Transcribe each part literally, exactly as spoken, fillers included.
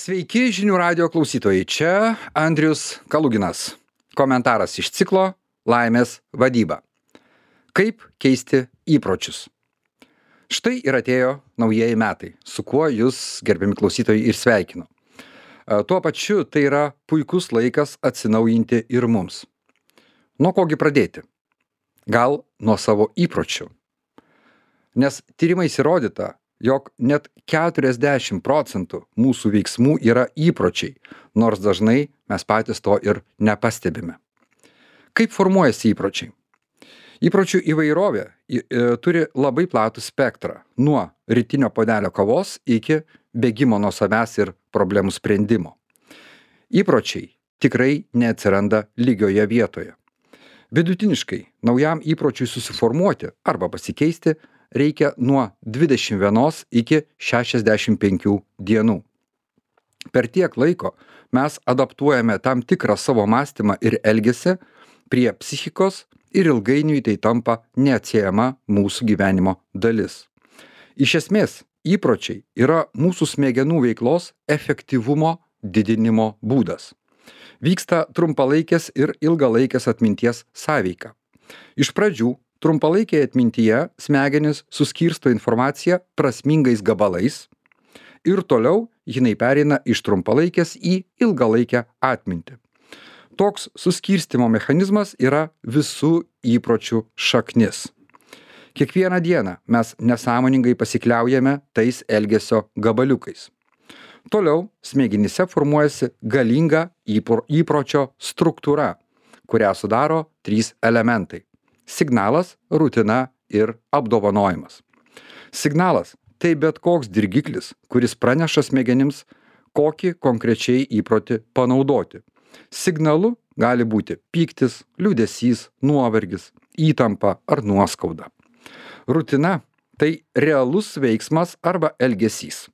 Sveiki žinių radijo klausytojai, čia Andrius Kaluginas. Komentaras iš ciklo Laimės vadyba. Kaip keisti įpročius? Štai ir atėjo naujieji metai, su kuo jūs, gerbiami klausytojai, ir sveikinu. Tuo pačiu tai yra puikus laikas atsinaujinti ir mums. Nuo kogi pradėti? Gal nuo savo įpročių. Nes tyrimais įrodyta, jog net keturiasdešimt procentų mūsų veiksmų yra įpročiai, nors dažnai mes patys to ir nepastebime. Kaip formuojasi įpročiai? Įpročių įvairovė i- i- turi labai platų spektrą, nuo rytinio puodelio kavos iki bėgimo nuo savęs ir problemų sprendimo. Įpročiai tikrai neatsiranda lygioje vietoje. Vidutiniškai naujam įpročiui susiformuoti arba pasikeisti reikia nuo dvidešimt vienos iki šešiasdešimt penkių dienų. Per tiek laiko mes adaptuojame tam tikrą savo mąstymą ir elgesį prie psichikos ir ilgainiui tai tampa neatsiejama mūsų gyvenimo dalis. Iš esmės, įpročiai yra mūsų smegenų veiklos efektyvumo didinimo būdas. Vyksta trumpalaikės ir ilgalaikės atminties sąveika. Iš pradžių trumpalaikėje atmintyje smegenys suskirsto informaciją prasmingais gabalais ir toliau jinai pereina iš trumpalaikės į ilgalaikę atmintį. Toks suskirstymo mechanizmas yra visų įpročių šaknis. Kiekvieną dieną mes nesąmoningai pasikliaujame tais elgesio gabaliukais. Toliau smegenyse formuojasi galinga įpro- įpročio struktūra, kurią sudaro trys elementai. Signalas, rutina ir apdovanojimas. Signalas – tai bet koks dirgiklis, kuris praneša smegenims, kokį konkrečiai įprotį panaudoti. Signalu gali būti pyktis, liūdesys, nuovargis, įtampa ar nuoskauda. Rutina – tai realus veiksmas arba elgesys.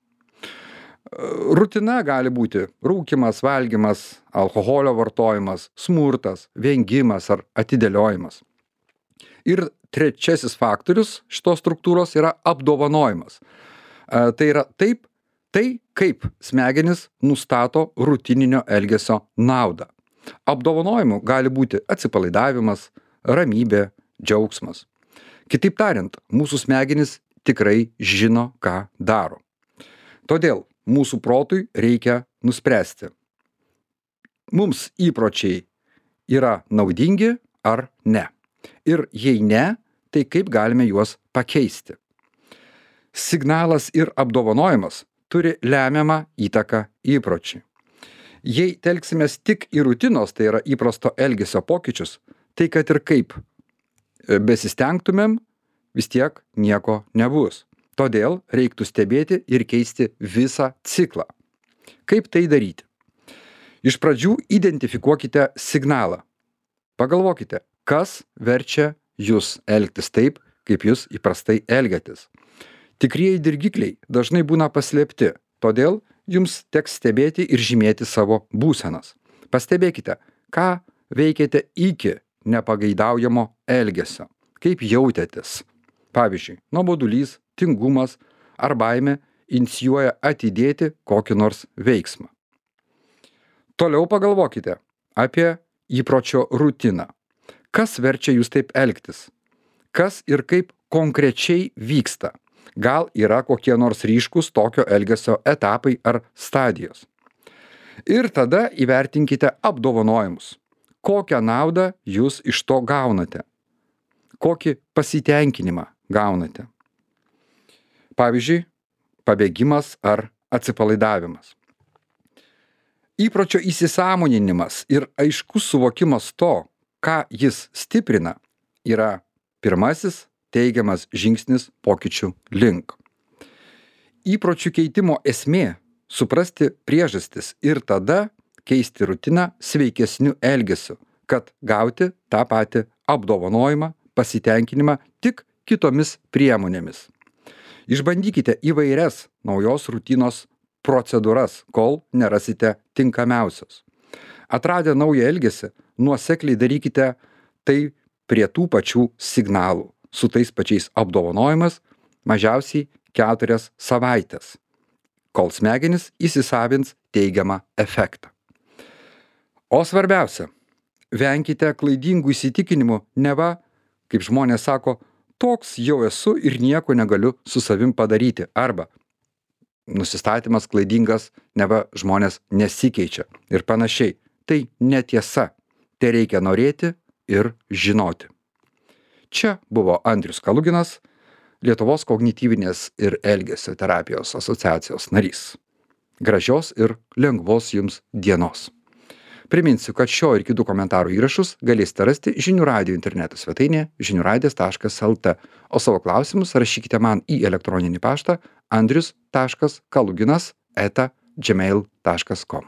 Rutina gali būti rūkymas, valgymas, alkoholio vartojimas, smurtas, vengimas ar atidėliojimas. Ir trečiasis faktorius šitos struktūros yra apdovanojimas. E, Tai yra taip, tai kaip smegenis nustato rutininio elgesio naudą. Apdovanojimu gali būti atsipalaidavimas, ramybė, džiaugsmas. Kitaip tariant, mūsų smegenys tikrai žino, ką daro. Todėl mūsų protui reikia nuspręsti. Mums įpročiai yra naudingi ar ne. Ir jei ne, tai kaip galime juos pakeisti. Signalas ir apdovanojimas turi lemiamą įtaką įpročiui. Jei telksimės tik į rutinos, tai yra įprasto elgesio pokyčius, tai kad ir kaip besistengtumėm, vis tiek nieko nebus. Todėl reiktų stebėti ir keisti visą ciklą. Kaip tai daryti? Iš pradžių identifikuokite signalą. Pagalvokite, kas verčia jūs elgtis taip, kaip jūs įprastai elgiatės. Tikrieji dirgikliai dažnai būna paslėpti, todėl jums teks stebėti ir žymėti savo būsenas. Pastebėkite, ką veikėte iki nepageidaujamo elgesio, kaip jautėtės. Pavyzdžiui, nuobodulys, tingumas ar baimė inicijuoja atidėti kokį nors veiksmą. Toliau pagalvokite apie įpročio rutiną. Kas verčia jūs taip elgtis? Kas ir kaip konkrečiai vyksta? Gal yra kokie nors ryškus tokio elgesio etapai ar stadijos? Ir tada įvertinkite apdovanojimus. Kokią naudą jūs iš to gaunate? Kokį pasitenkinimą gaunate? Pavyzdžiui, pabėgimas ar atsipalaidavimas. Įpročio įsisąmoninimas ir aiškus suvokimas to, ką jis stiprina, yra pirmasis teigiamas žingsnis pokyčių link. Įpročių keitimo esmė – suprasti priežastis ir tada keisti rutiną sveikesniu elgesiu, kad gauti tą patį apdovanojimą, pasitenkinimą tik kitomis priemonėmis. Išbandykite įvairias naujos rutinos procedūras, kol nerasite tinkamiausios. Atradę naują elgesį, nuosekliai darykite tai prie tų pačių signalų, su tais pačiais apdovanojimas mažiausiai keturias savaitės. kol smegenys įsisavins teigiamą efektą. O svarbiausia, venkite klaidingų įsitikinimų, neva, kaip žmonės sako, toks jau esu ir nieko negaliu su savim padaryti. Arba nusistatymas klaidingas, neva žmonės nesikeičia ir panašiai. Tai netiesa. Tai reikia norėti ir žinoti. Čia buvo Andrius Kaluginas, Lietuvos kognityvinės ir elgesio terapijos asociacijos narys. Gražios ir lengvos jums dienos. Priminsiu, kad šio ir kitų komentarų įrašus galėsite rasti žinių radijo interneto svetainėje žinių radijas taškas lt, o savo klausimus rašykite man į elektroninį paštą andrius taškas kaluginas eta gmail taškas com.